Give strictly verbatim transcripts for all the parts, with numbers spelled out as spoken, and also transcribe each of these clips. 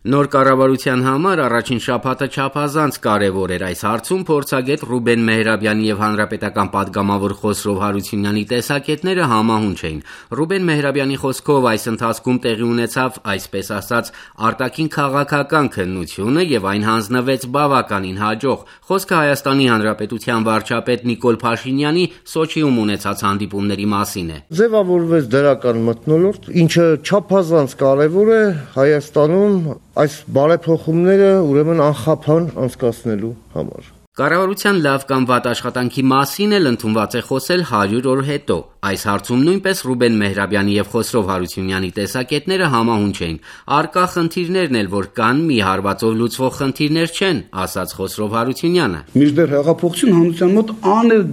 Նոր կառավարության համար առաջին շաբաթը չափազանց կարևոր էր։ Այս հարցում փորձագետ Ռուբեն Մեհրաբյանի եւ հանրապետական պատգամավոր Խոսրով Հարությունյանի տեսակետները համահունչ էին։ Ռուբեն Մեհրաբյանի խոսքով այս ընթացքում տեղի ունեցավ, այսպես ասած, արտաքին քաղաքական քննությունը եւ այն հանձնվեց բավականին հաջող։ Խոսքը Հայաստանի Հանրապետության վարչապետ Նիկոլ Փաշինյանի Սոչիում ունեցած հանդիպումների մասին է։ Ձևավորվեց դրական մթնոլորտ, ինչը չափազանց կարևոր է Հայաստանում այս բարեփոխումները ուրեմն անխափան անցկացնելու համար։ Կառավարության լավ կամ վատ աշխատանքի մասին էլ ընդունված է խոսել հարյուր օր հետո։ Այս հարցում նույնպես Ռուբեն Մեհրաբյանի եւ Խոսրով Հարությունյանի տեսակետները համահունչ էին։ Արկա խնդիրներն էլ որ կան, մի հարվածով լուծվող խնդիրներ չեն, ասաց Խոսրով Հարությունյանը։ Մինչդեռ հեղափոխություն հանրության մոտ անել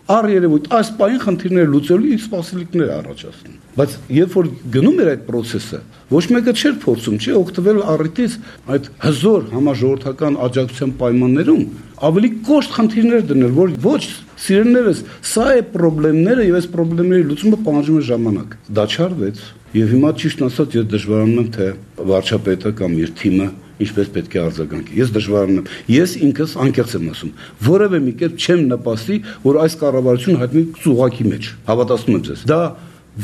առերևույթ այս պահին խնդիրները լուծելու իր սպասելիքներ առաջացնում։ Բայց երբ որ գնում էր այդ process-ը, ոչ մեկը չէր փորձում, չի օգտվել առիթից այդ հզոր համաժողովրդական աջակցության պայմաններում ավելի կոշտ խնդիրներ դնել, որ ոչ սիրելիներս, սա է խնդիրները եւ այս խնդիրների լուծումը պահանջում է ժամանակ։ Դա չարվեց եւ հիմա ճիշտ ասած ես դժվարանում եմ, թե վարչապետը կամ իր թիմը ինչպես պետք է արձագանքի։ Ես դժվարանում եմ։ Ես ինքս անկեղծ եմ ասում, որևէ մի կերպ չեմ նպաստի, որ այս կառավարությունը հայտնի ծուղակի մեջ։ Հավատացնում եմ ձեզ։ Դա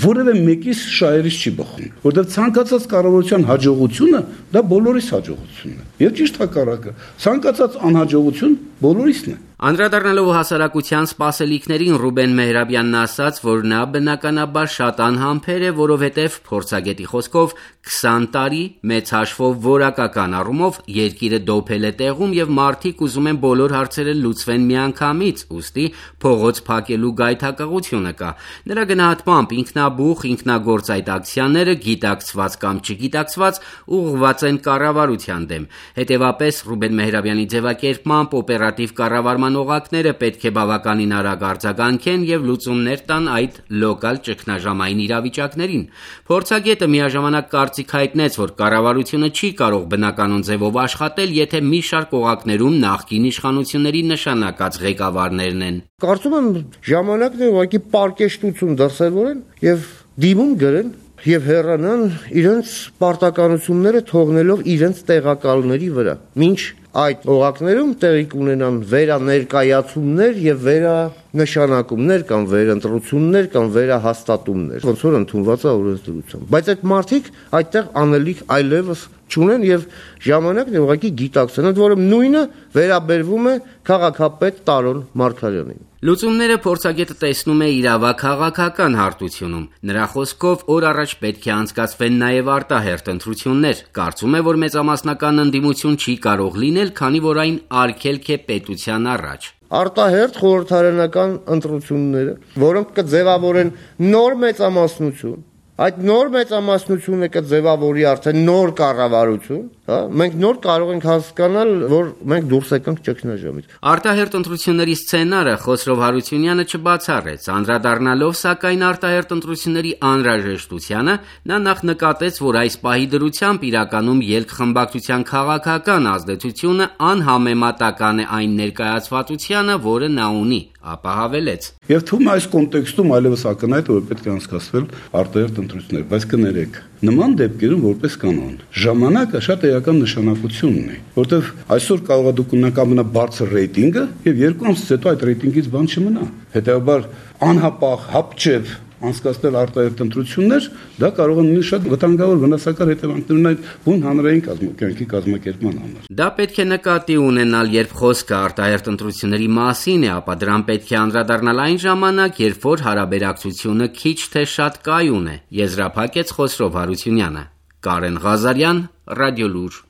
որևէ մեկիս շահերից չի բխում, որտեղ ցանկացած կառավարության հաջողությունը դա բոլորիս հաջողությունն է։ Եվ ճիշտ հակառակը, ցանկացած անհաջողություն բոլորիսն է։ Անդրադառնալով հասարակության սպասելիքներին Ռուբեն Մեհրաբյանն ասաց, որ նա բնականաբար շատ անհամբեր է, որովհետև փորձագետի խոսքով քսան տարի մեծ հաշվով որակական առումով երկիրը դոփել է տեղում եւ մարդիկ ուզում են բոլոր հարցերը լուծվեն միանգամից, ուստի փողոց փակելու գայթակղությունը կա։ Նրա գնահատմամբ ինքնաբուխ, ինքնագործ այդ ակցիաները գիտակցված կամ չգիտակցված ուղղված են կառավարության դեմ։ Հետևաբար Ռուբեն Մեհրաբյանի ձևակերպմամբ օպերատիվ կառավարման օղակները պետք է բավականին արագ արձագանքեն եւ լուծումներ տան այդ լոկալ ճգնաժամային իրավիճակներին։ Փորձագետը միաժամանակ կարծիք հայտնեց, որ կառավարությունը չի կարող բնականon ձևով աշխատել, եթե մի շարք օղակներում նախկին իշխանությունների նշանակած ղեկավարներն են։ Կարծում եմ ժամանակն է ուղղակի պարկեշտություն դրսևորեն եւ դիմում գրեն եւ հեռանան իրենց պարտականությունները թողնելով իրենց տեղակալների վրա։ Մինչ այդ օղակներում տեղի կունենան վերաներկայացումներ եւ վերանշանակումներ կամ վերընտրություններ կամ վերահաստատումներ, ոնց որ ընդունված է օրենսդրությամբ։ Բայց այդ մարդիկ այդտեղ անելիք այլևս չունեն եւ ժամանակն է ուղղակի գիտակցեն, ընդ որում նույնը վերաբերվում է քաղաքապետ Տարոն Մարգարյանին։ Լուծումները փորձագետը տեսնում է իրավաքաղաքական հարթությունում։ Նրա խոսքով օր առաջ պետք է անցկացվեն նաև արտահերթ ընտրություններ։ Կարծում է, որ մեծամասնական ընդդիմություն չի կարող լինել, քանի որ այն արգելք է պետության առաջ։ Արտահերթ խորհրդարանական ընտրությունները, որոնք կձևավորեն նոր մեծամասնություն, այդ նոր մեծամասնությունը կձևավորի արդեն նոր կառավարություն, հա, մենք նոր կարող ենք հասկանալ, որ մենք դուրս եկանք ճգնաժամից։ Արտահերթ ընտրությունների սցենարը Խոսրով Հարությունյանը չբացառեց, անդրադառնալով սակայն արտահերթ ընտրությունների անհրաժեշտությանը, նա նախ նկատեց, որ այս պահի դրությամբ իրականում ելքխմբակցության քաղաքական ազդեցությունը անհամեմատական է այն ներկայացվածությանը, որը նա ունի, ապա հավելեց. Եվ թվում է այս կոնտեքստում այլևս ակնհայտ է, որ պետք է անցկացվել արտահերթ ընտրություններ, բայց կներեք, նման դեպքերում որպես կանոն ժամանակը շատ էական նշանակություն ունի, որտեղ այսօր կարող է դուք ունենաք ամենաբարձր ռեյտինգը եւ երկու ամսից հետո այդ ռեյտինգից բան չմնա։ Հետեւաբար անհապաղ, հապճեպ անցկացնել արտահերթ ընտրություններ, դա կարող է լինել շատ վտանգավոր վնասակար հետևանքներ ունենալ բուն հանրային կազմակերպի կազմակերպման համար։ Դա պետք է նկատի ունենալ, երբ խոսքը արտահերթ ընտրությունների մասին է, ապա դրան պետք է անդրադառնալ այն ժամանակ, երբ որ հարաբերակցությունը քիչ թե շատ կայուն է, եզրափակեց Խոսրով Հարությունյանը։ Կարեն Ղազարյան, Ռադիոլուր։